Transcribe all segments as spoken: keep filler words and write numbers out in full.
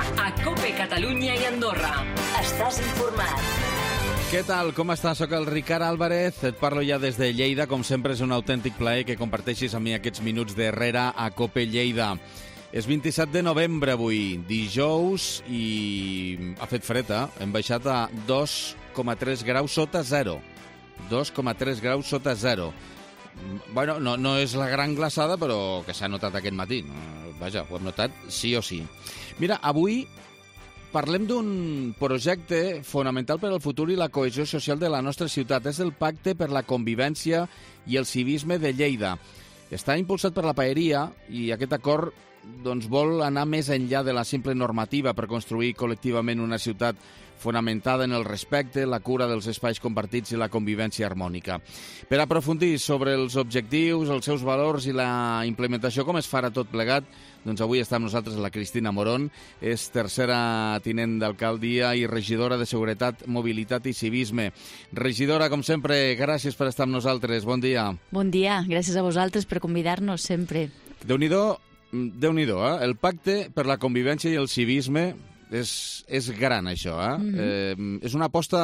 a COPE Catalunya i Andorra. Estàs informat. Què tal? Com estàs? Soc el Ricard Álvarez. Et parlo ja des de Lleida. Com sempre, és un autèntic plaer que comparteixis amb mi aquests minuts d'Herrera a COPE Lleida. És vint-i-set de novembre avui, dijous, i ha fet fred, eh? Hem baixat a dos coma tres graus sota zero. dos coma tres graus sota zero. Bueno, no, no és la gran glaçada, però que s'ha notat aquest matí. Vaja, ho hem notat sí o sí. Mira, avui parlem d'un projecte fonamental per al futur i la cohesió social de la nostra ciutat. És el Pacte per la Convivència i el Civisme de Lleida. Està impulsat per la Paeria i aquest acord doncs, vol anar més enllà de la simple normativa per construir col·lectivament una ciutat fonamentada en el respecte, la cura dels espais compartits i la convivència harmònica. Per aprofundir sobre els objectius, els seus valors i la implementació, com es farà tot plegat, doncs avui està amb nosaltres la Cristina Morón, és tercera tinent d'alcaldia i regidora de Seguretat, Mobilitat i Civisme. Regidora, com sempre, gràcies per estar amb nosaltres. Bon dia. Bon dia, gràcies a vosaltres per convidar-nos sempre. Déu-n'hi-do, Déu-n'hi-do, eh? El Pacte per la Convivència i el Civisme és, és gran, això, eh? Mm-hmm. eh? És una aposta,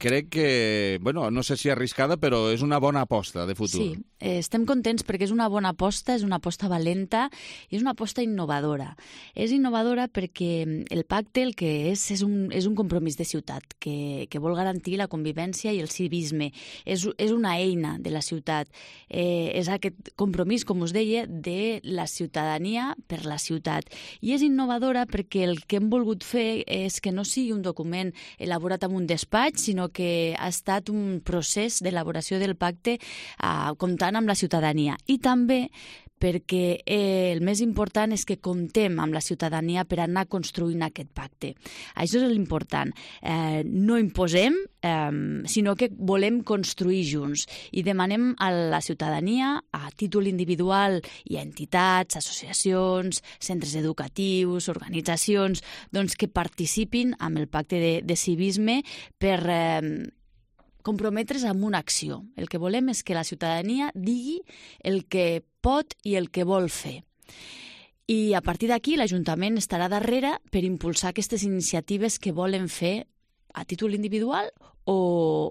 crec que, bueno, no sé si arriscada, però és una bona aposta de futur. Sí, eh, estem contents perquè és una bona aposta, és una aposta valenta i és una aposta innovadora. És innovadora perquè el pacte el que és és un, és un compromís de ciutat que, que vol garantir la convivència i el civisme. És, és una eina de la ciutat. Eh, és aquest compromís, com us deia, de la ciutadania per la ciutat. I és innovadora perquè el que hem volgut fer és que no sigui un document elaborat en un despatx, sinó que ha estat un procés d'elaboració del pacte eh, comptant amb la ciutadania. I també perquè eh, el més important és que comptem amb la ciutadania per anar construint aquest pacte. Això és l'important. Eh, no imposem, eh, sinó que volem construir junts i demanem a la ciutadania, a títol individual i a entitats, associacions, centres educatius, organitzacions, doncs que participin amb el pacte de, de civisme per eh, comprometre's amb una acció. El que volem és que la ciutadania digui el que pot i el que vol fer. I a partir d'aquí l'Ajuntament estarà darrere per impulsar aquestes iniciatives que volen fer a títol individual o,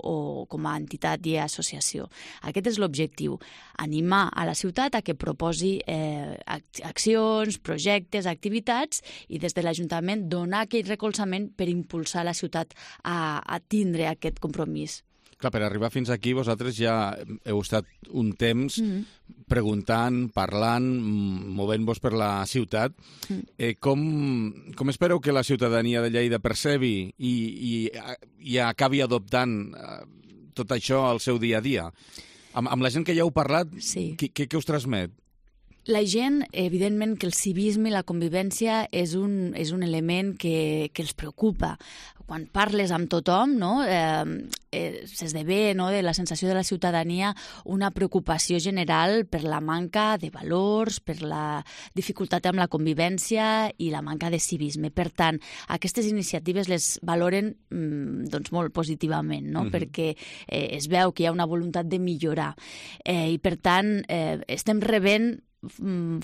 o com a entitat i associació. Aquest és l'objectiu, animar a la ciutat a que proposi eh, accions, projectes, activitats i des de l'Ajuntament donar aquell recolzament per impulsar la ciutat a, a tindre aquest compromís. Clar, per arribar fins aquí vosaltres ja heu estat un temps mm-hmm. preguntant, parlant, movent-vos per la ciutat. Mm. Eh, com, com espereu que la ciutadania de Lleida percebi i, i, i acabi adoptant eh, tot això al seu dia a dia? Amb, amb la gent que ja heu parlat, sí. què, què, què us transmet? La gent, evidentment, que el civisme i la convivència és un, és un element que, que els preocupa. Quan parles amb tothom, no, eh, eh, s'esdevé, no, de la sensació de la ciutadania una preocupació general per la manca de valors, per la dificultat amb la convivència i la manca de civisme. Per tant, aquestes iniciatives les valoren mm, doncs molt positivament, no? Mm-hmm. Perquè eh, es veu que hi ha una voluntat de millorar. Eh, I, per tant, eh, estem rebent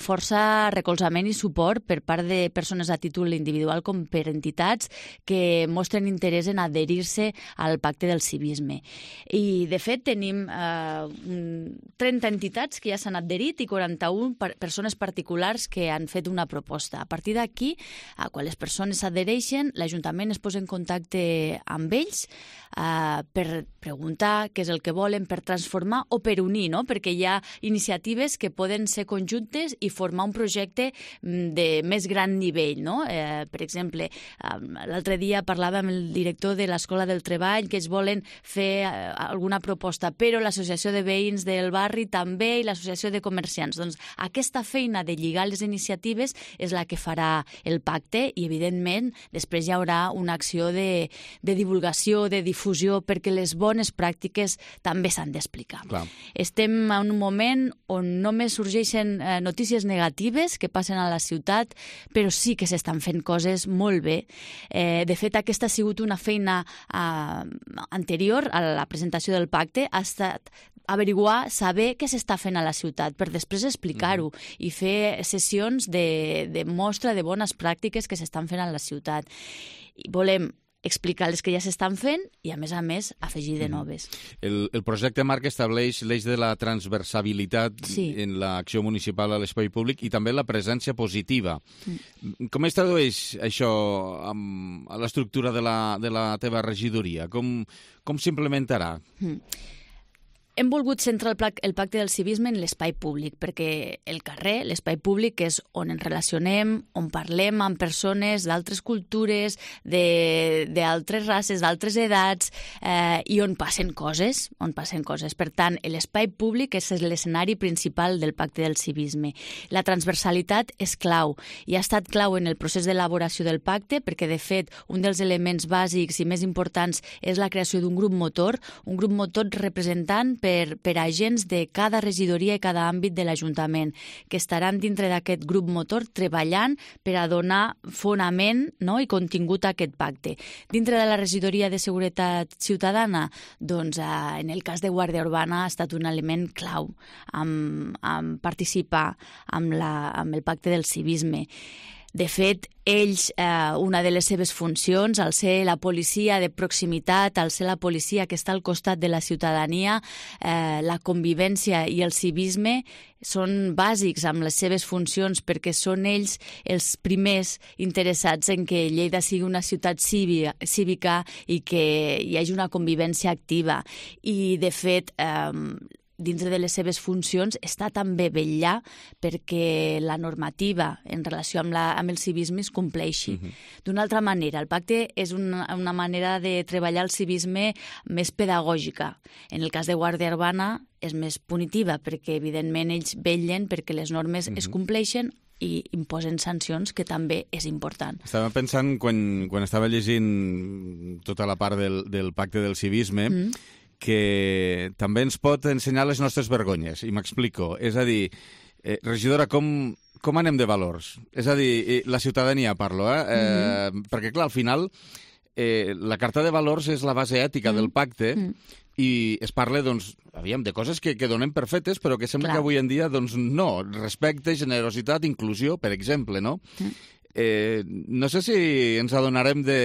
força recolzament i suport per part de persones a títol individual com per entitats que mostren interès en adherir-se al pacte del civisme. I, de fet, tenim eh, trenta entitats que ja s'han adherit i quaranta-una per persones particulars que han fet una proposta. A partir d'aquí, quan les persones s'adhereixen, l'Ajuntament es posa en contacte amb ells eh, per preguntar què és el que volen, per transformar o per unir, no? Perquè hi ha iniciatives que poden ser conjuntes juntes i formar un projecte de més gran nivell, no? Eh, per exemple, l'altre dia parlava amb el director de l'Escola del Treball que es volen fer alguna proposta, però l'associació de veïns del barri també i l'associació de comerciants. Doncs aquesta feina de lligar les iniciatives és la que farà el pacte i, evidentment, després hi haurà una acció de, de divulgació, de difusió, perquè les bones pràctiques també s'han d'explicar. Estem en un moment on només sorgeixen eh, notícies negatives que passen a la ciutat, però sí que s'estan fent coses molt bé. Eh, de fet, aquesta ha sigut una feina eh, anterior a la presentació del pacte, ha estat averiguar, saber què s'està fent a la ciutat, per després explicar-ho mm-hmm. i fer sessions de, de mostra de bones pràctiques que s'estan fent a la ciutat. I volem explicar les que ja s'estan fent i, a més a més, afegir de noves. El, el projecte marc estableix l'eix de la transversabilitat sí. en l'acció municipal a l'espai públic i també la presència positiva. Mm. Com es tradueix això amb, a l'estructura de la, de la teva regidoria? Com, com s'implementarà? Mm. Hem volgut centrar el, el pacte del civisme en l'espai públic, perquè el carrer, l'espai públic, és on ens relacionem, on parlem amb persones d'altres cultures, d'altres races, d'altres edats, eh, i on passen coses, on passen coses. Per tant, l'espai públic és l'escenari principal del pacte del civisme. La transversalitat és clau, i ha estat clau en el procés d'elaboració del pacte, perquè, de fet, un dels elements bàsics i més importants és la creació d'un grup motor, un grup motor representant Per, per agents de cada regidoria i cada àmbit de l'Ajuntament, que estaran dintre d'aquest grup motor treballant per a donar fonament, no?, i contingut a aquest pacte. Dintre de la regidoria de Seguretat Ciutadana, doncs, eh, en el cas de Guàrdia Urbana ha estat un element clau amb, amb participar amb, la, amb el pacte del civisme. De fet, ells, eh, una de les seves funcions, al ser la policia de proximitat, al ser la policia que està al costat de la ciutadania, eh, la convivència i el civisme són bàsics amb les seves funcions, perquè són ells els primers interessats en que Lleida sigui una ciutat cívica, cívica i que hi hagi una convivència activa. I, de fet, eh, dintre de les seves funcions està també vetllar perquè la normativa en relació amb, la, amb el civisme es compleixi. Uh-huh. D'una altra manera, el pacte és una, una manera de treballar el civisme més pedagògica. En el cas de Guàrdia Urbana és més punitiva, perquè evidentment ells vetllen perquè les normes uh-huh. es compleixen i imposen sancions, que també és important. Estava pensant, quan, quan estava llegint tota la part del, del pacte del civisme, mm. que també ens pot ensenyar les nostres vergonyes, i m'explico. És a dir, eh, regidora, com, com anem de valors? És a dir, la ciutadania parlo, eh? eh mm-hmm. Perquè, clar, al final, eh, la carta de valors és la base ètica mm. del pacte, mm. i es parla, doncs, aviam, de coses que, que donem per fetes, però que sembla Clar. que avui en dia, doncs, no. Respecte, generositat, inclusió, per exemple, no? Mm. Eh, no sé si ens adonarem de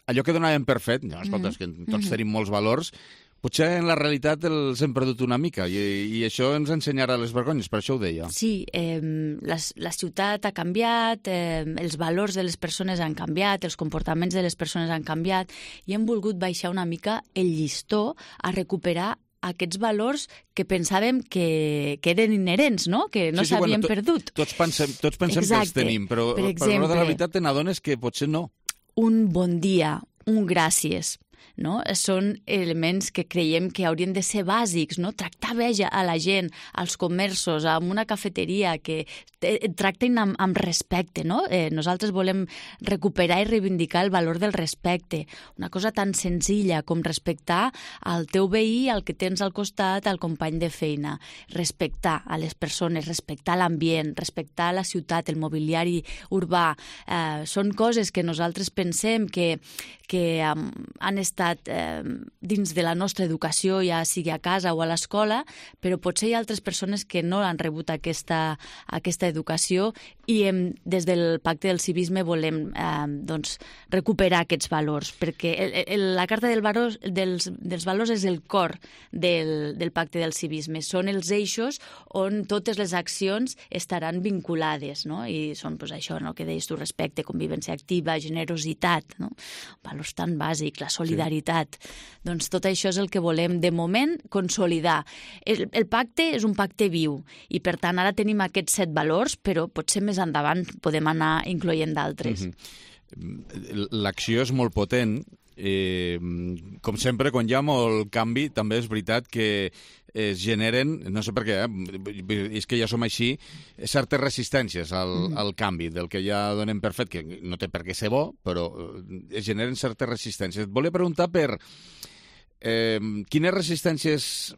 allò que donàvem per fet. No, escolta, és que tots tenim molts valors. Potser en la realitat els hem perdut una mica i, i això ens ensenyarà les vergonyes, per això ho deia. Sí, eh, la, la ciutat ha canviat, eh, els valors de les persones han canviat, els comportaments de les persones han canviat i hem volgut baixar una mica el llistó a recuperar aquests valors que pensàvem que, que eren inherents, no? Que no sí, sí, s'havien bueno, to, perdut. Tots pensem, tots pensem Exacte. que els tenim, però per, exemple, per l'hora de la veritat te n'adones que potser no. Un bon dia, un gràcies, no? Són elements que creiem que haurien de ser bàsics, no? Tractar bé a la gent, als comerços, amb una cafeteria, que tracten amb, amb respecte, no? Eh, nosaltres volem recuperar i reivindicar el valor del respecte. Una cosa tan senzilla com respectar al teu veí, al que tens al costat, al company de feina. Respectar a les persones, respectar l'ambient, respectar la ciutat, el mobiliari urbà. Eh, són coses que nosaltres pensem que, que um, han estat Eh, dins de la nostra educació, ja sigui a casa o a l'escola, però potser hi ha altres persones que no han rebut aquesta, aquesta educació i hem, des del Pacte del Civisme volem eh, doncs, recuperar aquests valors, perquè el, el, la Carta del valor, dels, dels Valors és el cor del, del Pacte del Civisme. Són els eixos on totes les accions estaran vinculades, no? I són pues, això, no? Que deies tu, respecte, convivència activa, generositat, no? Valors tan bàsics, la solidaritat. Sí. Doncs tot això és el que volem, de moment, consolidar. El, el pacte és un pacte viu i, per tant, ara tenim aquests set valors, però potser més endavant podem anar incloent d'altres. Mm-hmm. L'acció és molt potent. Eh, com sempre, quan hi ha molt canvi, també és veritat que es generen, no sé per què, eh? és que ja som així, certes resistències al, mm. al canvi, del que ja donem per fet, que no té per què ser bo, però es generen certes resistències. Et volia preguntar per eh, quines resistències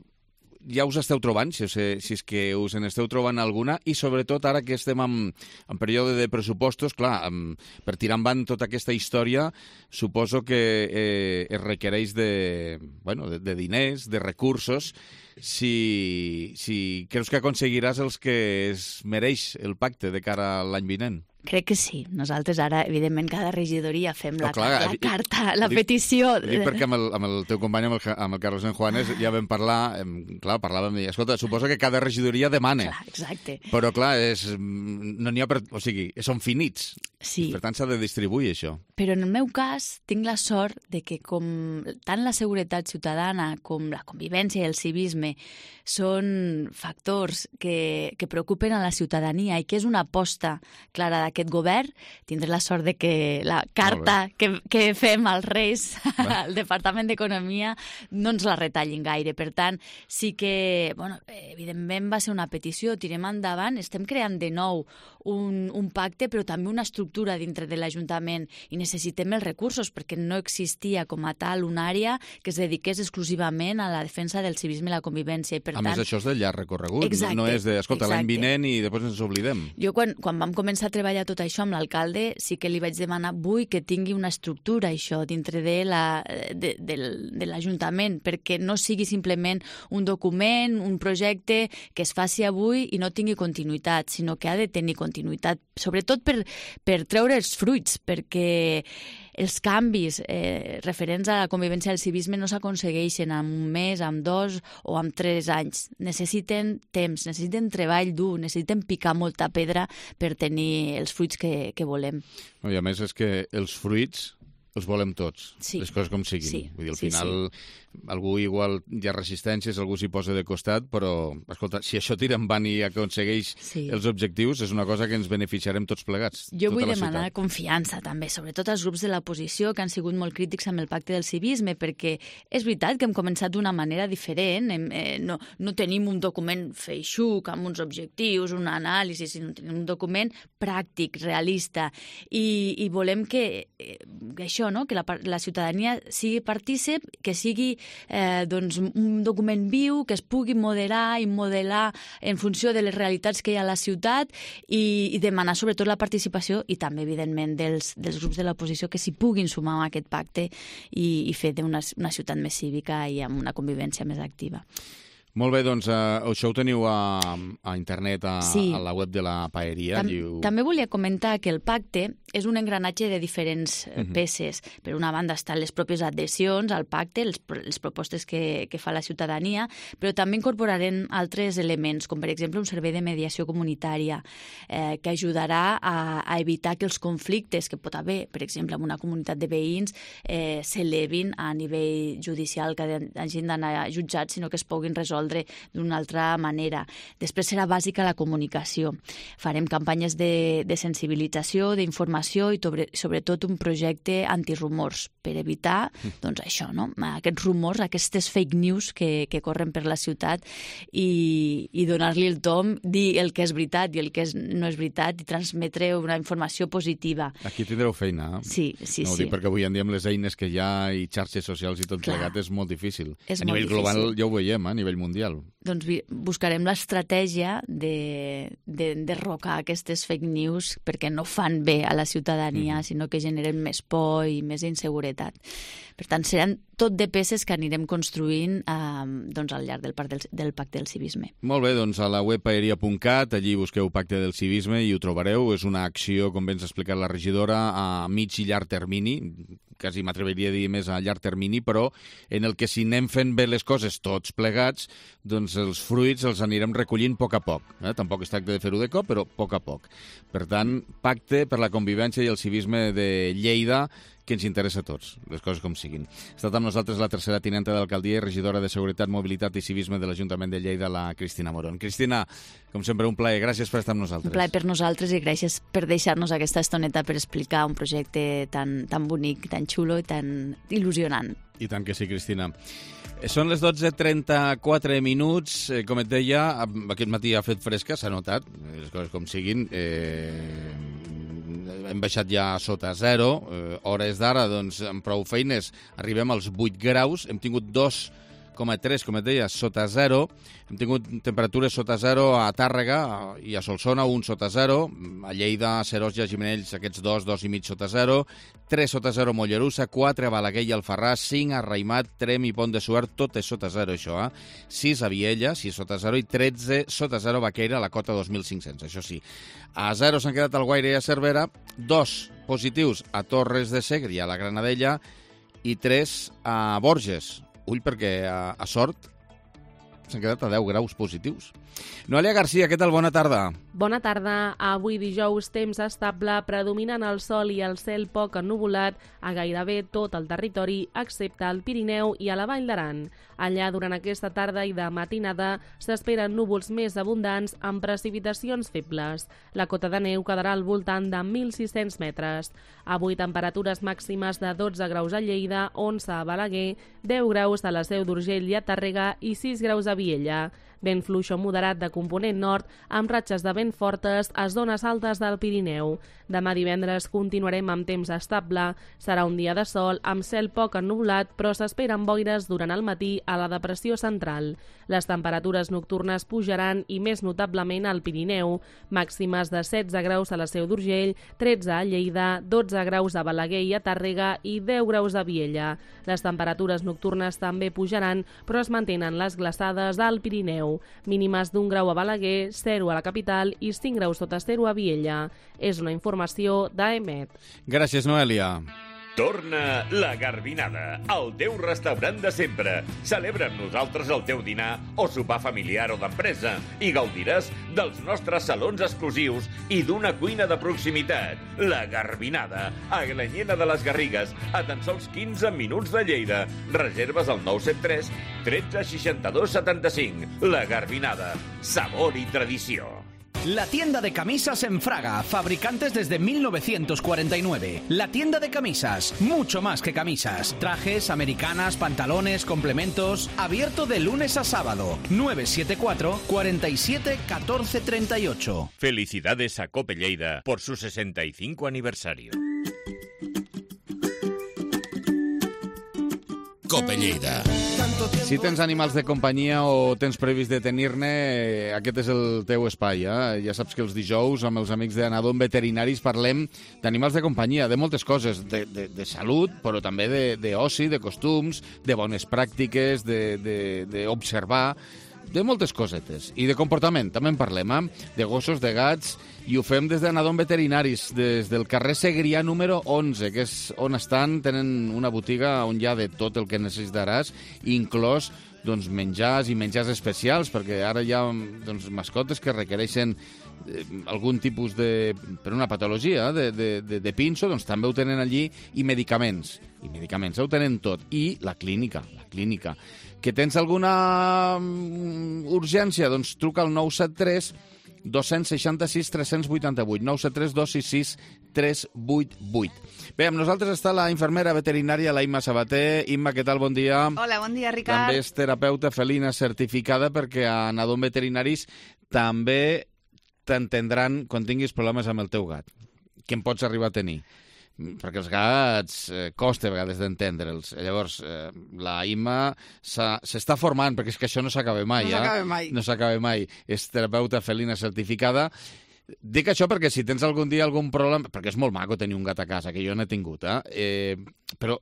ja us esteu trobant, si, si és que us en esteu trobant alguna, i sobretot ara que estem en, en període de pressupostos, clar, en, per tirar endavant tota aquesta història, suposo que eh, es requereix de, bueno, de, de diners, de recursos. Si, si creus que aconseguiràs els que es mereix el pacte de cara a l'any vinent? Crec que sí. Nosaltres ara, evidentment, cada regidoria fem la, oh, clar, la carta, la dic, petició... Dic perquè amb el, amb el teu company, amb el, amb el Carlos San Juanes, ja vam parlar, em, clar, parlàvem i, escolta, suposo que cada regidoria demana. Clar, exacte. Però, clar, és, no n'hi ha per... O sigui, són finits. Sí. Per tant, s'ha de distribuir, això. Però en el meu cas, tinc la sort de que com tant la seguretat ciutadana com la convivència i el civisme són factors que, que preocupen a la ciutadania i que és una aposta clara d'aquest govern, tindré la sort de que la carta que, que fem als Reis al Departament d'Economia no ens la retallin gaire. Per tant, sí que, bueno, evidentment va ser una petició, tirem endavant, estem creant de nou un, un pacte, però també una estructura dintre de l'Ajuntament i necessitem els recursos perquè no existia com a tal una àrea que es dediqués exclusivament a la defensa del civisme i la convivència. I per a tant, més, això és de llarg recorregut, exacte, no és de, escolta, exacte. l'any vinent i després ens oblidem. Jo, quan, quan vam començar a treballar tot això amb l'alcalde, sí que li vaig demanar, vull que tingui una estructura, això, dintre de la, de, de, de l'Ajuntament, perquè no sigui simplement un document, un projecte que es faci avui i no tingui continuïtat, sinó que ha de tenir continuïtat, sobretot per, per treure els fruits, perquè els canvis eh, referents a la convivència del civisme no s'aconsegueixen en un mes, en dos o en tres anys. Necessiten temps, necessiten treball dur, necessiten picar molta pedra per tenir els fruits que, que volem. I a més és que els fruits els volem tots, sí. les coses com siguin. Sí. Vull dir, al sí, final sí. algú igual hi ha resistències, algú s'hi posa de costat, però, escolta, si això tira endavant i aconsegueix sí. els objectius, és una cosa que ens beneficiarem tots plegats. Jo tota vull la demanar ciutat. confiança, també, sobretot als grups de l'oposició que han sigut molt crítics amb el pacte del civisme, perquè és veritat que hem començat d'una manera diferent, hem, eh, no, no tenim un document feixuc amb uns objectius, una anàlisi, sinó tenim un document pràctic, realista, i, i volem que, eh, que això, no? que la, la ciutadania sigui partícip, que sigui eh, doncs, un document viu, que es pugui moderar i modelar en funció de les realitats que hi ha a la ciutat i, i demanar sobretot la participació i també, evidentment, dels, dels grups de l'oposició que s'hi puguin sumar a aquest pacte i, i fer d'una una ciutat més cívica i amb una convivència més activa. Molt bé, doncs uh, això ho teniu a, a internet, a, sí. a la web de la Paeria. Tam Lliu... També volia comentar que el pacte és un engranatge de diferents uh -huh. peces. Per una banda estan les pròpies adhesions al pacte, les, les propostes que, que fa la ciutadania, però també incorporarem altres elements, com per exemple un servei de mediació comunitària eh, que ajudarà a, a evitar que els conflictes que pot haver, per exemple, en una comunitat de veïns, eh, s'elevin a nivell judicial, que hagin d'anar a jutjats, sinó que es puguin resoldre d'una altra manera. Després serà bàsica la comunicació. Farem campanyes de, de sensibilització, d'informació i sobre, sobretot un projecte antirumors per evitar doncs, això, no? Aquests rumors, aquestes fake news que, que corren per la ciutat i, i donar-li el tom, dir el que és veritat i el que és, no és veritat i transmetre una informació positiva. Aquí tindreu feina. Eh? Sí, sí, no, ho sí. dic perquè avui en dia amb les eines que hi ha i xarxes socials i tot Clar. plegat és molt difícil. És a molt nivell difícil. global ja ho veiem, eh? A nivell mundial. Doncs buscarem l'estratègia de, de derrocar aquestes fake news perquè no fan bé a la ciutadania, mm. sinó que generen més por i més inseguretat. Per tant, seran tot de peces que anirem construint eh, doncs, al llarg del, del, del Pacte del Civisme. Molt bé, doncs a la web paeria punt cat, allí busqueu Pacte del Civisme i ho trobareu. És una acció, com bé ens ha explicat la regidora, a mig i llarg termini, quasi m'atreviria a dir més a llarg termini, però en el que si anem fent bé les coses tots plegats, doncs els fruits els anirem recollint a poc a poc. Eh? Tampoc es tracta de fer-ho de cop, però a poc a poc. Per tant, Pacte per la convivència i el civisme de Lleida, que ens interessa a tots, les coses com siguin. Ha estat amb nosaltres la tercera tinenta d'alcaldia i regidora de Seguretat, Mobilitat i Civisme de l'Ajuntament de Lleida, la Cristina Morón. Cristina, com sempre, un plaer. Gràcies per estar amb nosaltres. Un plaer per nosaltres i gràcies per deixar-nos aquesta estoneta per explicar un projecte tan, tan bonic, tan xulo i tan il·lusionant. I tant que sí, Cristina. Són les dotze trenta-quatre minuts. Eh, com et deia, aquest matí ha fet fresca, s'ha notat, les coses com siguin. Eh, hem baixat ja sota zero. Eh, hores d'ara, doncs, amb prou feines, arribem als vuit graus. Hem tingut dos coma tres, com et deia, sota zero. Hem tingut temperatures sota zero a Tàrrega i a Solsona, un sota zero. A Lleida, a Seròs i a Gimenells, aquests dos, dos i mig sota zero. tres sota zero a Mollerussa, quatre a Balaguer i Alfarràs, cinc a Raimat, Trem i Pont de Suert, tot és sota zero, això, eh? sis a Viella, sis sota zero, i tretze sota zero a Baqueira, a la cota dos mil cinc-cents, això sí. A zero s'han quedat al Guaire i a Cervera, dos positius a Torres de Segre i a la Granadella, i tres a Borges. Ull, perquè a, a Sort s'han quedat a deu graus positius. Noelia Garcia, què tal? Bona tarda. Bona tarda. Avui dijous, temps estable, predominant el sol i el cel poc ennuvolat a gairebé tot el territori, excepte al Pirineu i a la Vall d'Aran. Allà, durant aquesta tarda i de matinada, s'esperen núvols més abundants amb precipitacions febles. La cota de neu quedarà al voltant de mil sis-cents metres. Avui, temperatures màximes de dotze graus a Lleida, onze a Balaguer, deu graus a la Seu d'Urgell i a Tàrrega i sis graus a Viella. Vent fluix o moderat de component nord amb ratxes de vent fortes a zones altes del Pirineu. Demà divendres continuarem amb temps estable. Serà un dia de sol amb cel poc ennuvolat, però s'esperen boires durant el matí a la depressió central. Les temperatures nocturnes pujaran i més notablement al Pirineu. Màximes de setze graus a la Seu d'Urgell, tretze a Lleida, dotze graus a Balaguer i a Tàrrega i deu graus a Viella. Les temperatures nocturnes també pujaran, però es mantenen les glaçades al Pirineu. Mínimes d'un grau a Balaguer, zero a la capital i cinc graus sota zero a Viella. És una informació d'A E M E T. Gràcies, Noelia. Torna la Garbinada, el teu restaurant de sempre. Celebra amb nosaltres el teu dinar o sopar familiar o d'empresa i gaudiràs dels nostres salons exclusius i d'una cuina de proximitat. La Garbinada, a Glanyena de les Garrigues, a tan sols quinze minuts de Lleida. Reserves al nou set tres, tretze, seixanta-dos, setanta-cinc. La Garbinada, sabor i tradició. La tienda de camisas en Fraga, fabricantes desde mil novecientos cuarenta y nueve. La tienda de camisas, mucho más que camisas. Trajes, americanas, pantalones, complementos. Abierto de lunes a sábado. nueve siete cuatro, cuarenta y siete, catorce treinta y ocho. Felicidades a Cope Lleida por su sesenta y cinco aniversario. Cope Lleida. Si tens animals de companyia o tens previst de tenir-ne, aquest és el teu espai. Eh? Ja saps que els dijous amb els amics d'Anadom Veterinaris parlem d'animals de companyia, de moltes coses, de, de, de salut, però també d'oci, de, de costums, de bones pràctiques, d'observar, de moltes cosetes. I de comportament, també en parlem, eh? De gossos, de gats, i ho fem des d'Anadom Veterinaris, des del carrer Segrià número onze, que és on estan, tenen una botiga on hi ha de tot el que necessitaràs, inclòs doncs, menjars i menjars especials, perquè ara hi ha doncs, mascotes que requereixen eh, algun tipus de... per una patologia de, de, de, de pinso, doncs també ho tenen allí, i medicaments. I medicaments, ho tenen tot. I la clínica, la clínica. Que tens alguna urgència? Doncs truca al nou set tres, dos sis sis, tres vuit vuit, nou set tres, dos sis sis, tres vuit vuit. Bé, amb nosaltres està la infermera veterinària, la Imma Sabater. Imma, què tal? Bon dia. Hola, bon dia, Ricard. També és terapeuta felina certificada, perquè a Anadom Veterinaris també t'entendran quan tinguis problemes amb el teu gat, que en pots arribar a tenir. Perquè els gats eh, costa a vegades d'entendre'ls. Llavors, eh, la Imma s'està formant, perquè és que això no s'acaba mai. No s'acaba mai. Eh? No s'acaba mai. És terapeuta felina certificada. Dic això perquè si tens algun dia algun problema... Perquè és molt maco tenir un gat a casa, que jo n'he tingut, eh? eh però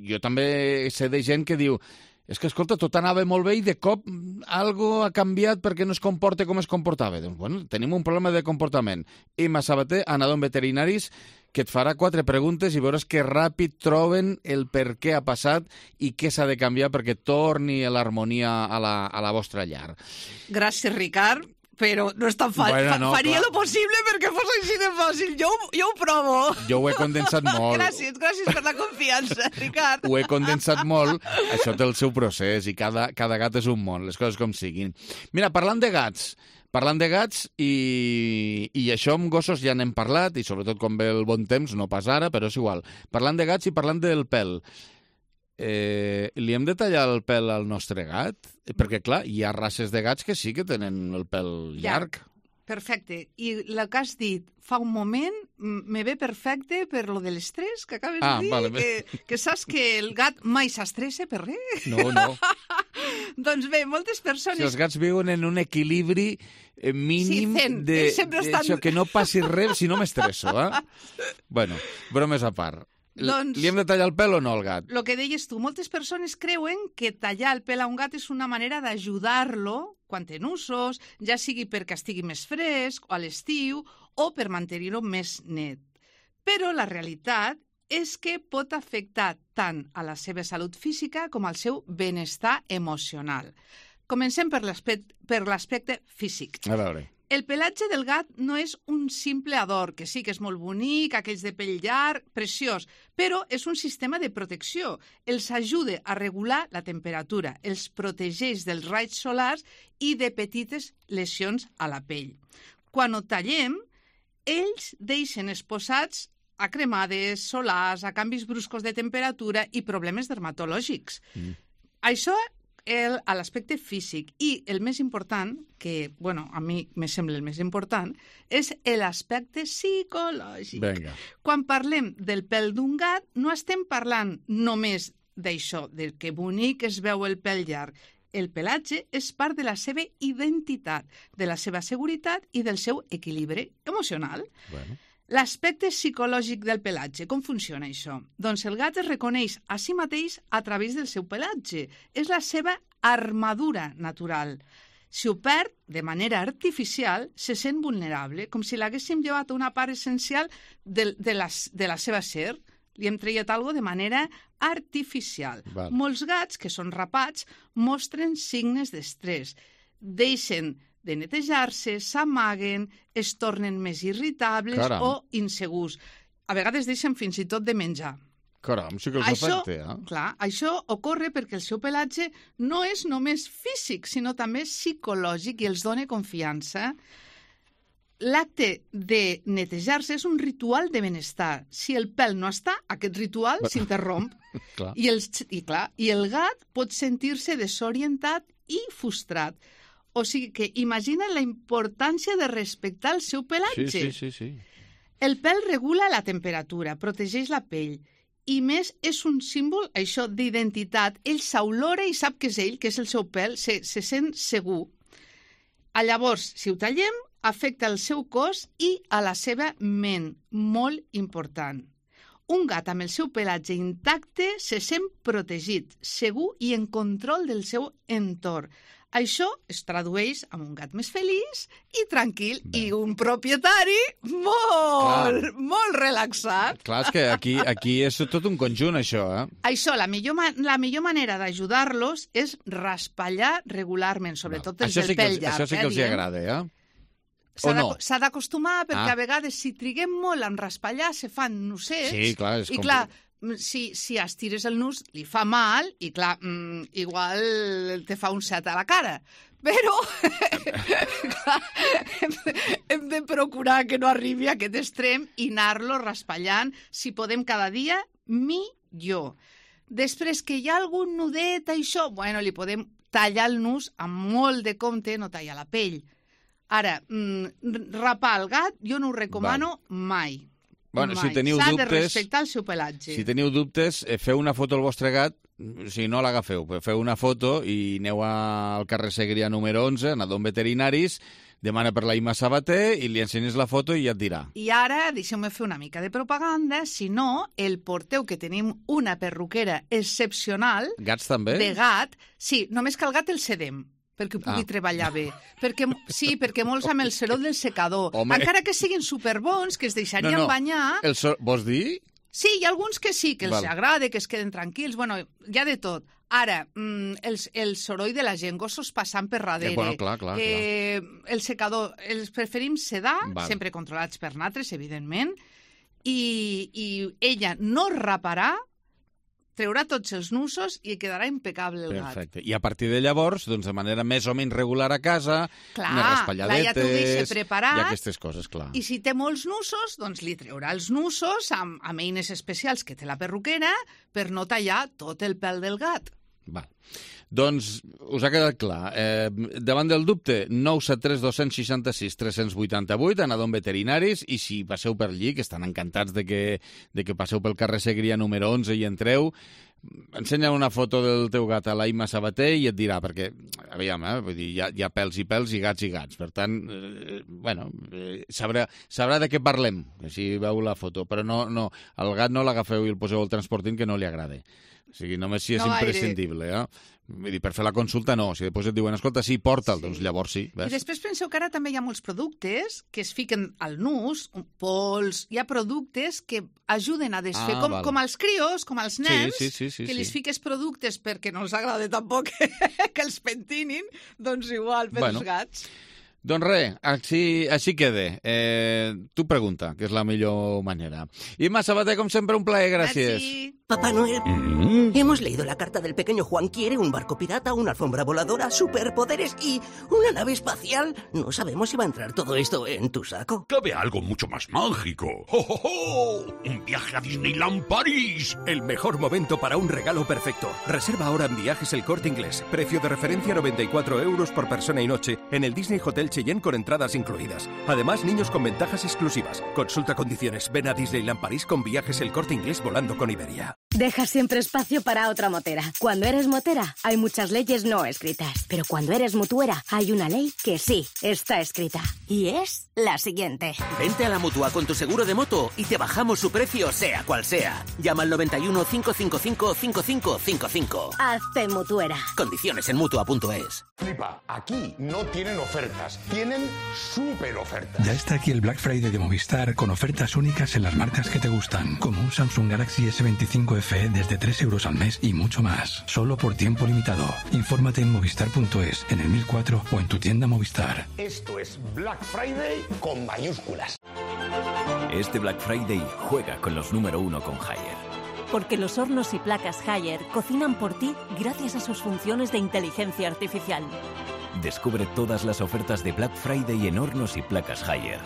jo també sé de gent que diu... És que, escolta, tot anava molt bé i de cop algo ha canviat perquè no es comporta com es comportava. Doncs, bueno, tenim un problema de comportament. Imma Sabater, Anadom Veterinaris, que et farà quatre preguntes i veuràs que ràpid troben el per què ha passat i què s'ha de canviar perquè torni l'harmonia a, la, a la vostra llar. Gràcies, Ricard, però no és tan fàcil. Bueno, no, Faria clar. Lo possible perquè fos així de fàcil. Jo, jo ho provo. Jo ho he condensat molt. Gràcies, gràcies per la confiança, Ricard. Ho he condensat molt. Això té el seu procés i cada, cada gat és un món, les coses com siguin. Mira, parlant de gats... Parlant de gats, i, i això amb gossos ja n'hem parlat, i sobretot quan ve el bon temps, no pas ara, però és igual. Parlant de gats i parlant del pèl. Eh, li hem de tallar el pèl al nostre gat? Perquè, clar, hi ha races de gats que sí que tenen el pèl llarg. Perfecte. I el que has dit fa un moment me ve perfecte per lo de l'estrès que acabes ah, de dir, vale. que, que saps que el gat mai s'estressa per res. No, no. Doncs bé, moltes persones... Si els gats viuen en un equilibri mínim sí, zen. de, estan... de això, que no passi res si no m'estresso, eh? Bueno, bromes a part. Doncs, li hem de tallar el pèl o no al gat? El que deies tu, moltes persones creuen que tallar el pèl a un gat és una manera d'ajudar-lo quan té nusos, ja sigui perquè estigui més fresc o a l'estiu o per mantenir-ho més net. Però la realitat és que pot afectar tant a la seva salut física com al seu benestar emocional. Comencem per l'aspecte físic. A veure. El pelatge del gat no és un simple adorn, que sí que és molt bonic, aquells de pell llarg, preciós, però és un sistema de protecció. Els ajuda a regular la temperatura, els protegeix dels raigs solars i de petites lesions a la pell. Quan ho tallem, ells deixen exposats a cremades solars, a canvis bruscos de temperatura i problemes dermatològics. Mm. Això El, a l'aspecte físic. I el més important, que bueno, a mi me sembla el més important, és l'aspecte psicològic. Venga. Quan parlem del pèl d'un gat, no estem parlant només d'això, del que bonic es veu el pèl llarg. El pelatge és part de la seva identitat, de la seva seguretat i del seu equilibri emocional. Bueno. L'aspecte psicològic del pelatge, com funciona això? Doncs el gat es reconeix a si mateix a través del seu pelatge. És la seva armadura natural. Si ho perd de manera artificial, se sent vulnerable, com si l'haguéssim llevat una part essencial de, de, la, de la seva ser. Li hem tret alguna cosa de manera artificial. Val. Molts gats, que són rapats, mostren signes d'estrès. Deixen de netejar-se, s'amaguen, es tornen més irritables Caram. o insegurs. A vegades deixen fins i tot de menjar. Caram, sí que els això, afecta, eh? Clar, això ocorre perquè el seu pelatge no és només físic, sinó també psicològic i els dona confiança. L'acte de netejar-se és un ritual de benestar. Si el pèl no està, aquest ritual s'interromp. I, el, i, clar, I el gat pot sentir-se desorientat i frustrat. O sigui que imagina la importància de respectar el seu pelatge. Sí, sí, sí, sí. El pèl regula la temperatura, protegeix la pell i més és un símbol, això, d'identitat. Ell s'olora i sap que és ell, que és el seu pèl, se, se sent segur. A llavors, si ho tallem, afecta el seu cos i a la seva ment, molt important. Un gat amb el seu pelatge intacte se sent protegit, segur i en control del seu entorn. Això es tradueix en un gat més feliç i tranquil. Bé. I un propietari molt, clar. molt relaxat. Clar, és que aquí, aquí és tot un conjunt, això, eh? Això, la millor, la millor manera d'ajudar-los és raspallar regularment, sobretot els del sí pèl que, llarg. Això sí que eh, els hi agrada, eh? S'ha no? d'acostumar, perquè ah. a vegades, si triguem molt en raspallar, se fan nussets. Sí, clar, és I clar, si, si estires el nus, li fa mal, i clar, mm, igual te fa un set a la cara. Però clar, hem, de, hem de procurar que no arribi a aquest extrem i anar-lo raspallant, si podem cada dia, millor. Després que hi ha algun nudet, això, bueno, li podem tallar el nus amb molt de compte, no tallar la pell. Ara, mm, rapar el gat jo no ho recomano Val. mai. Bueno, mai. si teniu S'ha dubtes, de respectar el seu pelatge. Si teniu dubtes, feu una foto al vostre gat, si no l'agafeu, feu una foto i aneu al carrer Segrià número onze, a Don Veterinaris, demana per la Ima Sabater i li ensenyes la foto i ja et dirà. I ara, deixeu-me fer una mica de propaganda, si no, el porteu que tenim una perruquera excepcional... Gats també? De gat, sí, només que el gat el cedem perquè pugui ah. treballar bé. Perquè, sí, perquè molts amb el soroll del secador. Home. Encara que siguin superbons, que es deixarien no, no. banyar... El so... Vols dir? Sí, hi ha alguns que sí, que els Val. agrada, que es queden tranquils. Bueno, hi ha de tot. Ara, mm, el, el soroll de la gent, gossos passant per darrere. Eh, bueno, clar, clar, eh, clar. El secador, els preferim sedar, Val. sempre controlats per natres, evidentment, i, i ella no raparà, treurà tots els nusos i quedarà impecable el gat. Perfecte. I a partir de llavors, doncs de manera més o menys regular a casa, clar, unes raspalladetes... ja t'ho deixa preparat. I aquestes coses, clar. I si té molts nusos, doncs li treurà els nusos amb, amb eines especials que té la perruquera per no tallar tot el pèl del gat. Val. Doncs us ha quedat clar. Eh, davant del dubte, nou set tres dos seixanta-sis tres vuitanta-vuit, anador en veterinaris, i si passeu per allí, que estan encantats de que, de que passeu pel carrer Segria número onze i entreu, ensenya una foto del teu gat a l'Aima Sabater i et dirà, perquè, aviam, eh, vull dir, hi ha, hi ha pèls i pèls i gats i gats, per tant, eh, bueno, eh, sabrà, sabrà de què parlem, si veu la foto, però no, no, el gat no l'agafeu i el poseu al transportint que no li agrada. O sigui, només si és no imprescindible, eh? Vull dir, per fer la consulta no, si després et diuen, escolta, sí, porta'l, sí. Doncs llavors sí. Ves? I després penseu que ara també hi ha molts productes que es fiquen al nus, pols, hi ha productes que ajuden a desfer, ah, com, com als crios, com als nens, sí, sí, sí, sí, que li sí. fiques productes perquè no els agrada tampoc que els pentinin, doncs igual per bueno. als gats. Doncs res, així, així quede. Eh, tu pregunta, que és la millor manera. Imma Sabater, com sempre, un plaer, gràcies. Merci. Papá Noel, Mm. hemos leído la carta del pequeño Juan. Quiere un barco pirata, una alfombra voladora, superpoderes y una nave espacial. No sabemos si va a entrar todo esto en tu saco. Cabe algo mucho más mágico. ¡Oh, oh, oh! ¡Un viaje a Disneyland París! El mejor momento para un regalo perfecto. Reserva ahora en Viajes El Corte Inglés. Precio de referencia noventa y cuatro euros por persona y noche en el Disney Hotel Cheyenne con entradas incluidas. Además, niños con ventajas exclusivas. Consulta condiciones. Ven a Disneyland París con Viajes El Corte Inglés volando con Iberia. Deja siempre espacio para otra motera. Cuando eres motera, hay muchas leyes no escritas. Pero cuando eres mutuera, hay una ley que sí está escrita. Y es la siguiente. Vente a la Mutua con tu seguro de moto y te bajamos su precio, sea cual sea. Llama al noventa y uno, cinco cinco cinco, cinco cinco cinco cinco. Hazte mutuera. Condiciones en mutua punto es. Flipa, aquí no tienen ofertas, tienen súper ofertas. Ya está aquí el Black Friday de Movistar con ofertas únicas en las marcas que te gustan, como un Samsung Galaxy ese veinticinco F E desde tres euros al mes y mucho más, solo por tiempo limitado. Infórmate en movistar punto es, en el mil cuatro o en tu tienda Movistar. Esto es Black Friday con mayúsculas. Este Black Friday juega con los número uno con Haier. Porque los hornos y placas Haier cocinan por ti gracias a sus funciones de inteligencia artificial. Descubre todas las ofertas de Black Friday en hornos y placas Haier.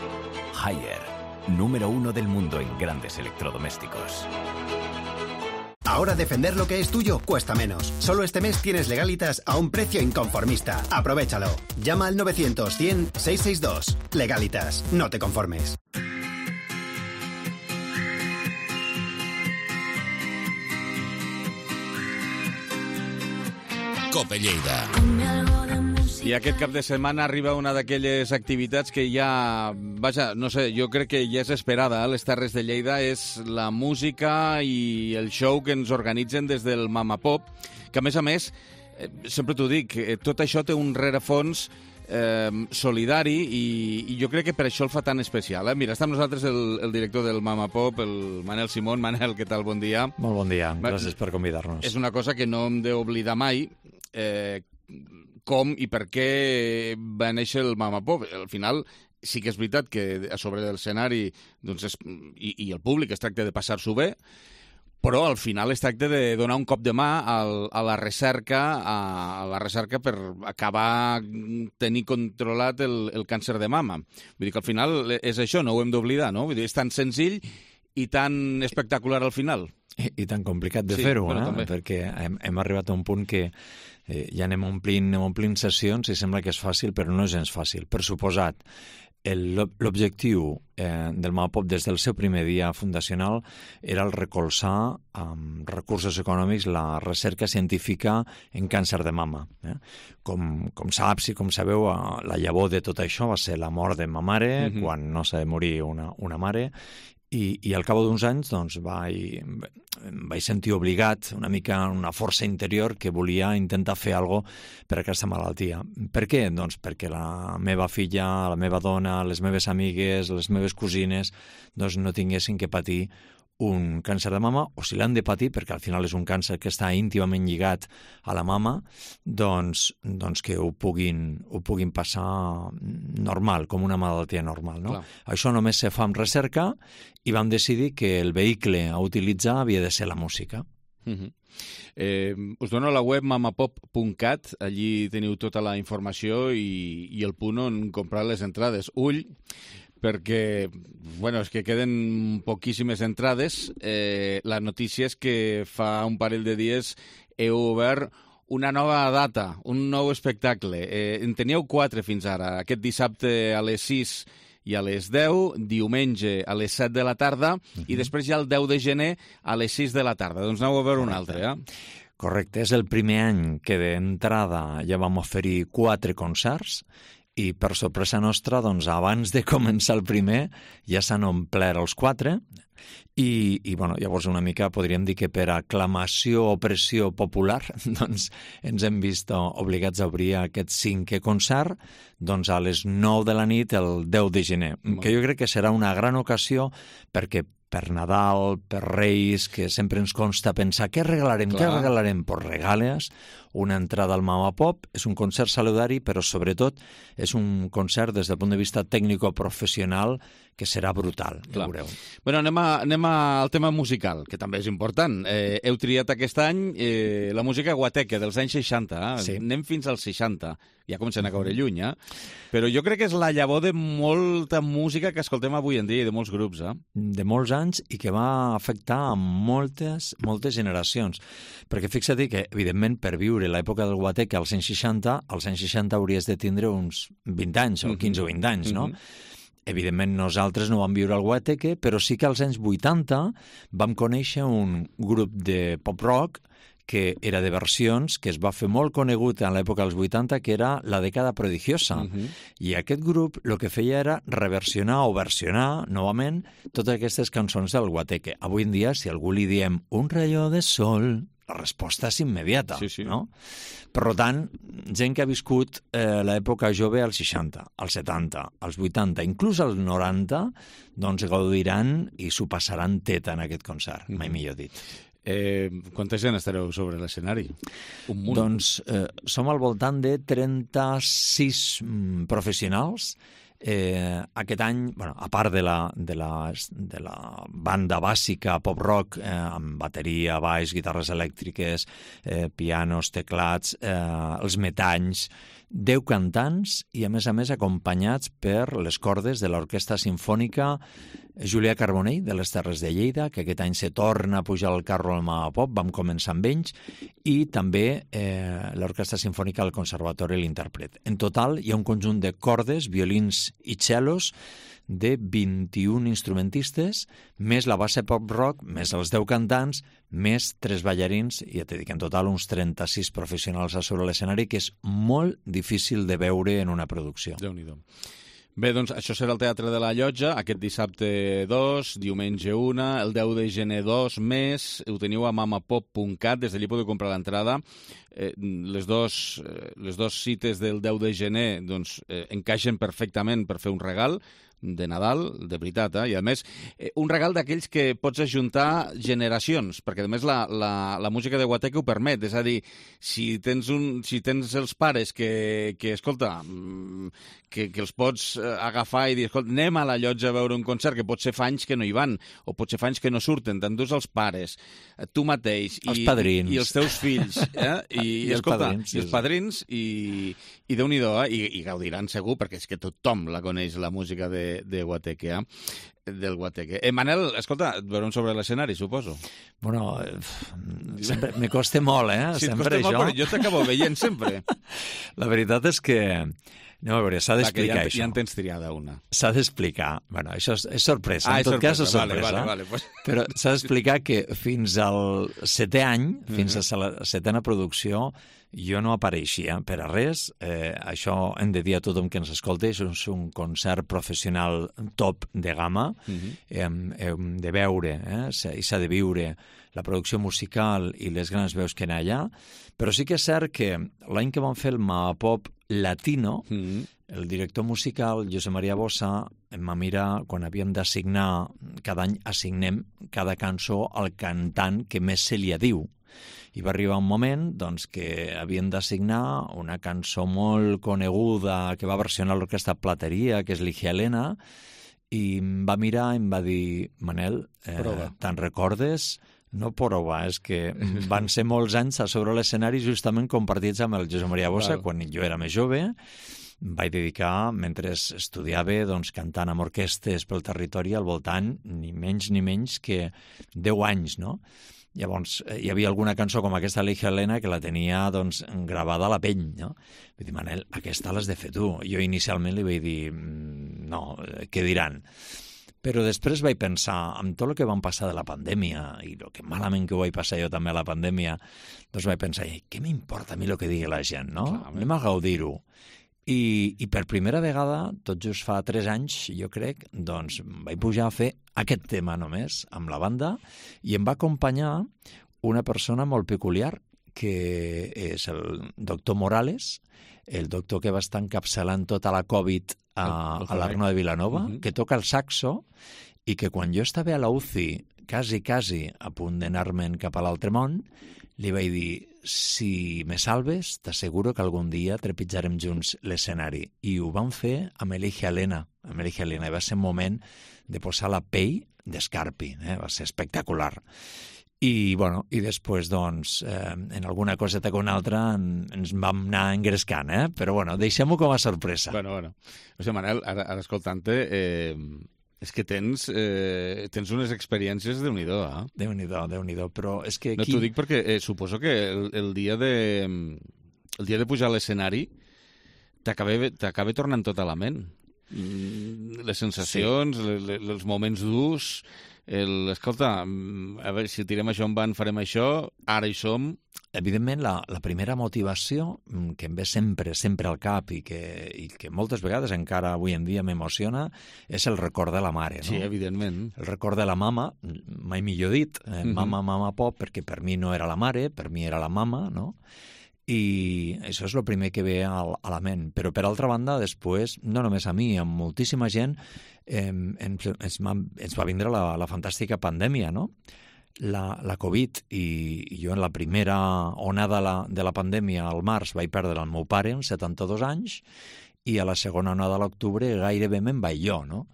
Haier, número uno del mundo en grandes electrodomésticos. Ahora defender lo que es tuyo cuesta menos. Solo este mes tienes Legalitas a un precio inconformista. Aprovechalo. Llama al novecientos, cien, seiscientos sesenta y dos. Legalitas. No te conformes. Cope Lleida. I aquest cap de setmana arriba una d'aquelles activitats que ja, vaja, no sé, jo crec que ja és esperada a les Terres de Lleida, és la música i el show que ens organitzen des del Mama Pop, que a més a més, eh, sempre t'ho dic, eh, tot això té un rerefons eh, solidari i, i jo crec que per això el fa tan especial. Eh? Mira, està amb nosaltres el, el director del Mama Pop, el Manel Simón. Manel, què tal? Bon dia. Molt bon dia, gràcies per convidar-nos. És una cosa que no hem d'oblidar mai, eh, com i per què va néixer el Mama Pop. Al final, sí que és veritat que a sobre de l'escenari doncs és, i, i el públic es tracta de passar-s'ho bé, però al final es tracta de donar un cop de mà al, a la recerca a, a la recerca per acabar tenir controlat el, el càncer de mama. Vull dir que al final és això, no ho hem d'oblidar, no? Vull dir, és tan senzill i tan espectacular al final. I, i tan complicat de sí, fer-ho, bueno, eh? Perquè hem, hem arribat a un punt que eh, ja anem omplint, anem omplint sessions i sembla que és fàcil, però no és gens fàcil. Per suposat, l'objectiu eh, del Mama Pop des del seu primer dia fundacional era el recolzar amb recursos econòmics la recerca científica en càncer de mama. Eh? Com, com saps i com sabeu, la llavor de tot això va ser la mort de ma mare, mm-hmm. quan no s'ha de morir una, una mare, i, i al cap d'uns anys doncs, vaig, vaig sentir obligat, una mica una força interior que volia intentar fer alguna cosa per aquesta malaltia. Per què? Doncs perquè la meva filla, la meva dona, les meves amigues, les meves cosines doncs no tinguessin que patir un càncer de mama, o si l'han de patir, perquè al final és un càncer que està íntimament lligat a la mama, doncs, doncs que ho puguin, ho puguin passar normal, com una malaltia normal. No? Això només se fa amb recerca i vam decidir que el vehicle a utilitzar havia de ser la música. Uh-huh. Eh, us dono la web mamapop punt cat, allí teniu tota la informació i, i el punt on comprar les entrades. Ull, perquè, bueno, és que queden poquíssimes entrades. Eh, la notícia és que fa un parell de dies heu obert una nova data, un nou espectacle. Eh, en teníeu quatre fins ara. Aquest dissabte a les sis i a les deu, diumenge a les set de la tarda, uh-huh. i després ja el deu de gener a les sis de la tarda. Doncs aneu a veure un altre, eh? Correcte, és el primer any que d'entrada ja vam oferir quatre concerts i per sorpresa nostra, doncs, abans de començar el primer ja s'han omplert els quatre i, i bueno, llavors una mica podríem dir que per aclamació o pressió popular doncs ens hem vist obligats a obrir aquest cinquè concert doncs a les nou de la nit el deu de gener, mm. que jo crec que serà una gran ocasió perquè per Nadal, per Reis, que sempre ens consta pensar què regalarem, Clar. què regalarem? Pues regales una entrada al Mama Pop, és un concert saludari, però sobretot és un concert des del punt de vista tècnico-professional que serà brutal, ja veureu. Bueno, anem, a, anem al tema musical, que també és important. Eh, heu triat aquest any eh, la música guateque dels anys seixanta, eh? Sí. Anem fins als seixanta, ja comencem a caure lluny, eh? Però jo crec que és la llavor de molta música que escoltem avui en dia i de molts grups, eh? De molts anys i que va afectar a moltes, moltes generacions. Perquè fixa't que, evidentment, per viure l'època del guateque als anys seixanta, als anys seixanta hauries de tindre uns vint anys, o quinze o vint anys, no? Mm-hmm. Evidentment, nosaltres no vam viure el guateque, però sí que als anys vuitanta vam conèixer un grup de pop-rock que era de versions, que es va fer molt conegut en l'època dels vuitanta, que era la dècada prodigiosa. Uh-huh. I aquest grup el que feia era reversionar o versionar, novament, totes aquestes cançons del guateque. Avui en dia, si algú li diem un rayo de sol, la resposta és immediata, sí, sí. no? Per tant, gent que ha viscut eh, l'època jove als seixanta, als setanta, als vuitanta, inclús als noranta, doncs gaudiran i s'ho passaran teta en aquest concert, mai millor dit. Eh, quanta gent estareu sobre l'escenari? Un munt. Doncs eh, som al voltant de trenta-sis mm, professionals. Eh, aquest any, bueno, a part de la, de la, de la banda bàsica pop-rock, eh, amb bateria, baix, guitarres elèctriques, eh, pianos, teclats, eh, els metalls, deu cantants i, a més a més, acompanyats per les cordes de l'Orquestra Simfònica Julià Carbonell, de les Terres de Lleida, que aquest any se torna a pujar al carro al Mama Pop, vam començar amb ells, i també eh, l'Orquestra Simfònica del Conservatori l'Intèrpret. En total hi ha un conjunt de cordes, violins i cellos de vint-i-un instrumentistes, més la base pop-rock, més els deu cantants, més tres ballarins, i ja t'he dit, en total uns trenta-sis professionals a sobre l'escenari, que és molt difícil de veure en una producció. Déu-n'hi-do. Bé, doncs això serà el Teatre de la Llotja, aquest dissabte dos, diumenge una, el deu de gener dos, més, ho teniu a mamapop punt cat, des d'allí podeu comprar l'entrada. Eh, les, dos, eh, les dos cites del deu de gener doncs, eh, encaixen perfectament per fer un regal de Nadal, de veritat, eh? I a més, eh, un regal d'aquells que pots ajuntar generacions, perquè a més la, la, la música de guateque ho permet, és a dir, si tens, un, si tens els pares que, que escolta, que, que els pots agafar i dir, escolta, anem a la Llotja a veure un concert, que pot ser fa anys que no hi van, o pot ser fa anys que no surten, t'endús els pares, tu mateix, els i, padrins. i els teus fills, eh? I, I, escolta, padrins, i els padrins, i, i Déu-n'hi-do, eh? I, i gaudiran segur, perquè és que tothom la coneix, la música de de guateque, eh? del guateque. Eh, Manel, escolta, et veurem sobre l'escenari, suposo. Bueno, sempre me costa molt, eh? Sí, sempre et costa això. molt, però jo t'acabo veient sempre. La veritat és que anem a veure, s'ha d'explicar ja, això. Ja en tens triada una. S'ha d'explicar. Bueno, això és, és sorpresa. Ah, en tot sorpresa. cas és sorpresa. Vale, vale, vale, pues... Però s'ha d'explicar que fins al setè any, fins a la setena producció, jo no apareixia per a res. Eh, això hem de dir a tothom que ens escolta, és un concert professional top de gamma. Uh-huh. hem, hem de veure, eh? i s'ha de viure la producció musical i les grans veus que hi ha allà. Però sí que és cert que l'any que vam fer el Mapop Latino, uh-huh. el director musical, Josep Maria Bossa, em va mirar quan havíem d'assignar, cada any assignem cada cançó al cantant que més se li adiu. I va arribar un moment doncs, que havien d'assignar una cançó molt coneguda que va versionar l'Orquestra Plateria, que és Ligia Helena, i em va mirar i em va dir, Manel, eh, te'n recordes? No prova, és que van ser molts anys a sobre l'escenari justament compartits amb el Josep Maria Bossa, wow. quan jo era més jove, vaig dedicar, mentre estudiava, doncs, cantant amb orquestes pel territori al voltant, ni menys ni menys que deu anys, no? Llavors, hi havia alguna cançó com aquesta de l'Hija Helena que la tenia, doncs, gravada a la pell, no? Vull dir, Manel, aquesta l'has de fer tu. Jo inicialment li vaig dir, no, què diran? Però després vaig pensar, amb tot el que vam passar de la pandèmia, i el que malament que ho vaig passar jo també a la pandèmia, doncs vaig pensar, què m'importa a mi el que digui la gent, no? Clar, anem a gaudir-ho. I, I per primera vegada, tot just fa tres anys, jo crec, doncs vaig pujar a fer aquest tema només, amb la banda, i em va acompanyar una persona molt peculiar, que és el doctor Morales, el doctor que va estar encapçalant tota la Covid a, a l'Arno de Vilanova, uh-huh. que toca el saxo, i que quan jo estava a la U C I, quasi, quasi a punt d'anar-me'n cap a l'altre món, li vaig dir, si me salves, t'asseguro que algun dia trepitjarem junts l'escenari. I ho vam fer amb l'Hija Helena. Amb l'Hija Helena. I va ser un moment de posar la pell d'escarpi. Eh? Va ser espectacular. I, bueno, i després, doncs, eh, en alguna coseta que una altra en, ens vam anar engrescant, eh? Però, bueno, deixem-ho com a sorpresa. Bueno, bueno. O sigui, Manel, ara, ara escoltant-te, eh, és que tens, eh, tens unes experiències de Déu-n'hi-do, eh? Déu-n'hi-do, Déu-n'hi-do, però és que aquí... No t'ho dic perquè eh, suposo que el, el, dia de, el dia de pujar a l'escenari t'acaba tornant tot a la ment. Les sensacions, sí. le, le, els moments durs... El, escolta, a veure, si tirem això en van, farem això, ara hi som... Evidentment, la, la primera motivació que em ve sempre, sempre al cap i que, i que moltes vegades encara avui en dia m'emociona és el record de la mare, no? Sí, evidentment. El record de la mama, mai millor dit, eh, uh-huh. mama, mama, pop, perquè per mi no era la mare, per mi era la mama, no? I això és el primer que ve a, a la ment. Però, per altra banda, després, no només a mi, amb moltíssima gent, eh, ens, ens, ens va vindre la, la fantàstica pandèmia, no? La, la Covid, i, i jo en la primera onada la, de la pandèmia, al març, vaig perdre el meu pare, amb setanta-dos anys, i a la segona onada a l'octubre gairebé me'n vaig jo, no?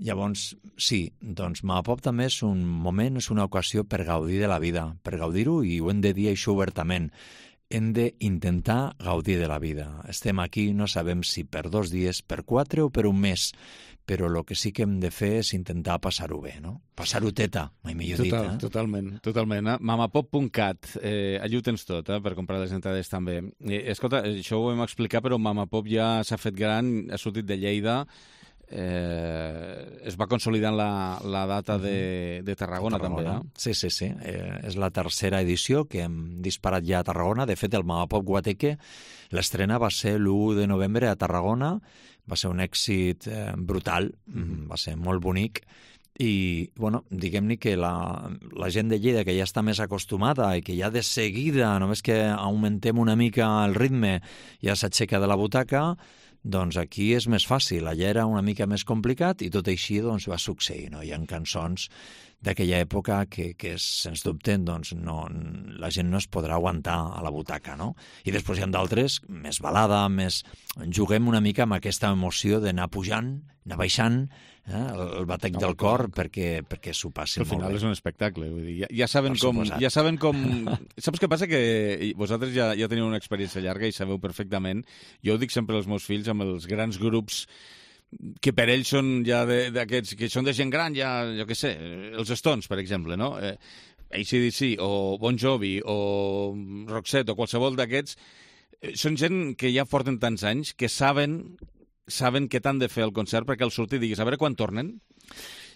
Llavors, sí, doncs Mamapop també és un moment, és una ocasió per gaudir de la vida, per gaudir-ho, i ho hem de dir això obertament. Hem d'intentar gaudir de la vida. Estem aquí, no sabem si per dos dies, per quatre o per un mes, però el que sí que hem de fer és intentar passar-ho bé, no? Passar-ho teta, mai millor dit. Total, eh? Totalment, totalment. Eh? mamapop punt cat, eh, allà ho tens tot, eh, per comprar les entrades també. Eh, escolta, això ho vam explicar, però Mamapop ja s'ha fet gran, ha sortit de Lleida, Eh, es va consolidant la, la data de, de Tarragona, Tarragona també, eh? Sí, sí, sí. Eh, és la tercera edició que hem disparat ja a Tarragona. De fet, el Mamapop Guateque, l'estrena va ser l'u de novembre a Tarragona, va ser un èxit eh, brutal, mm-hmm. va ser molt bonic, i, bueno, diguem-ne que la, la gent de Lleida, que ja està més acostumada i que ja de seguida, només que augmentem una mica el ritme, ja s'aixeca de la butaca, doncs aquí és més fàcil. Allà era una mica més complicat i tot així doncs, va succeir. No? Hi ha cançons d'aquella època que, que sens dubte, doncs, no, la gent no es podrà aguantar a la butaca, no? I després hi ha d'altres, més balada, més... Juguem una mica amb aquesta emoció d'anar pujant, anar baixant, eh? el, el batec no, del cor, no. perquè, perquè s'ho passi molt bé. Al final és un espectacle, vull dir, ja, ja saben com... Ja saben com... Saps què passa? Que vosaltres ja, ja teniu una experiència llarga i sabeu perfectament. Jo ho dic sempre als meus fills, amb els grans grups que per ells són ja d'aquests, que són de gent gran, ja, jo què sé, els Stones, per exemple, no? Eh, A C D C, o Bon Jovi, o Roxette, o qualsevol d'aquests, eh, són gent que ja porten tants anys que saben saben què t'han de fer el concert perquè al sortir diguis, a veure quan tornen.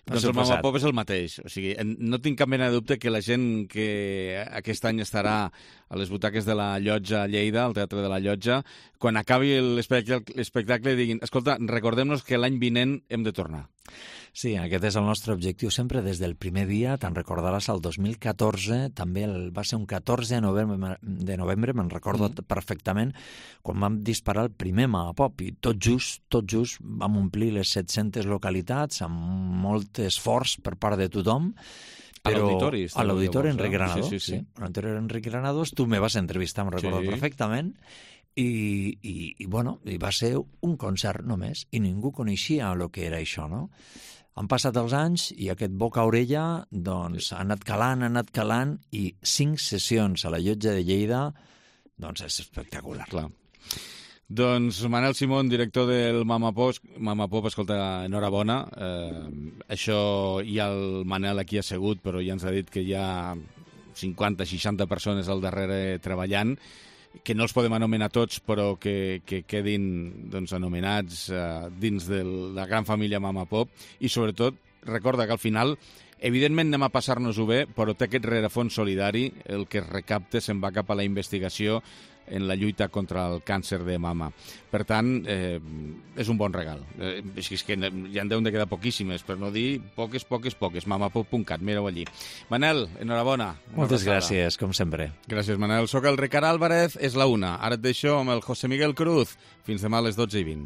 Doncs el Mamapop és el mateix. O sigui, no tinc cap mena de dubte que la gent que aquest any estarà a les butaques de la Llotja a Lleida, al Teatre de la Llotja, quan acabi l'espectacle diguin, escolta, recordem-nos que l'any vinent hem de tornar. Sí, aquest és el nostre objectiu sempre des del primer dia. Te'n recordaràs, el dos mil catorze, també el, va ser un catorze de novembre, de novembre me'n recordo mm. perfectament, quan vam disparar el primer Mamapop, i tot just, tot just vam omplir les set-centes localitats amb molt esforç per part de tothom. Però a l'auditori. A l'auditori Enric Granados. Sí, sí, sí. sí. A l'auditori Enric Granados, tu me vas entrevistar, em recordo sí. perfectament, i, i, i, bueno, i va ser un concert només, i ningú coneixia el que era això, no? Han passat els anys i aquest boca-orella doncs, ha anat calant, ha anat calant, i cinc sessions a la Llotja de Lleida doncs és espectacular. Clar. Doncs Manel Simón, director del Mama Pop, Mama Pop, escolta, enhorabona. Eh, això hi ha el Manel aquí assegut, però ja ens ha dit que hi ha cinquanta seixanta persones al darrere treballant, que no els podem anomenar tots, però que, que quedin doncs, anomenats eh, dins de la gran família Mama Pop. I sobretot, recorda que al final, evidentment anem a passar-nos-ho bé, però té aquest rerefons solidari, el que es recapta se'n va cap a la investigació en la lluita contra el càncer de mama. Per tant, eh, és un bon regal. Eh, és que ja en deuen de quedar poquíssimes, per no dir poques, poques, poques. mamapop punt cat, mireu allí. Manel, enhorabona. Moltes gràcies, com sempre. Gràcies, Manel. Soc el Ricard Álvarez, és la una. Ara et deixo amb el José Miguel Cruz. Fins demà a les dotze i vint.